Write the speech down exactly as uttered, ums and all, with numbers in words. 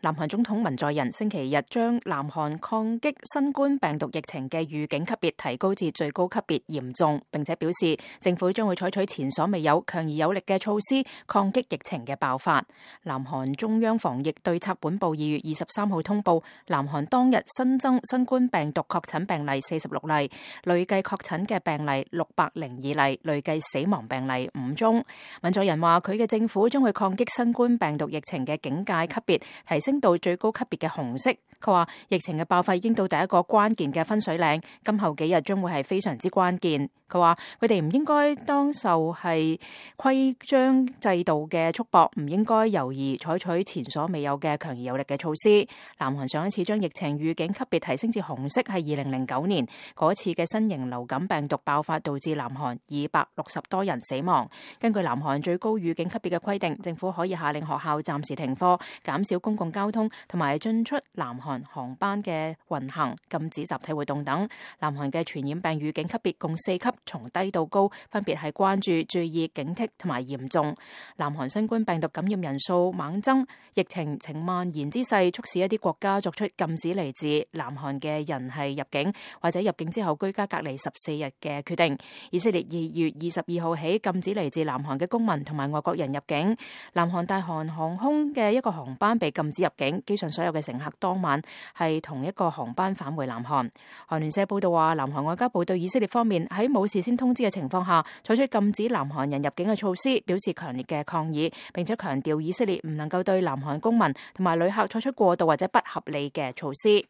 南韓總統文在寅星期日將南韓抗擊新冠病毒疫情嘅預警級別提高至最高級別嚴重，並且表示政府將會採取前所未有強而有力嘅措施抗擊疫情嘅爆發。南韓中央防疫對策本部二月二十三號通報，南韓當日新增新冠病毒確診病例四十六例，累計確診嘅病例六百零二例，累計死亡病例五宗。文在寅話佢嘅政府將會抗擊新冠病毒疫情嘅警戒級別提升到最高級別嘅紅色。佢話疫情嘅爆發已經到第一個關鍵嘅分水嶺，今後幾日將會係非常之關鍵。佢話佢哋唔應該當受係規章制度嘅束縛，唔應該猶豫採取前所未有嘅強而有力嘅措施。南韓上一次將疫情預警級別提升至紅色係二零零九年，嗰次嘅新型流感病毒爆發導致南韓二百六十多人死亡。根據南韓最高預警級別嘅規定，政府可以下令學校暫時停課，減少公共交通同埋進出南韓航班嘅運行，禁止集體活動等。南韓嘅傳染病預警級別共四級，從低到高，分別係關注、注意、警惕同埋嚴重。南韓新冠病毒感染人數猛增，疫情呈蔓延之勢，促使一啲國家作出禁止嚟自南韓嘅人係入境或者入境之後居家隔離十四日嘅決定。以色列二月二十二號起禁止嚟自南韓嘅公民同埋外國人入境。南韓大韓航空嘅一個航班被禁止入境，機上所有嘅乘客當晚係同一個航班返回南韓。韓聯社報道話，南韓外交部對以色列方面喺冇事先通知嘅情況下採取禁止南韓人入境嘅措施表示強烈嘅抗議，並且強調以色列唔能夠對南韓公民同埋旅客採取過度或者不合理嘅措施。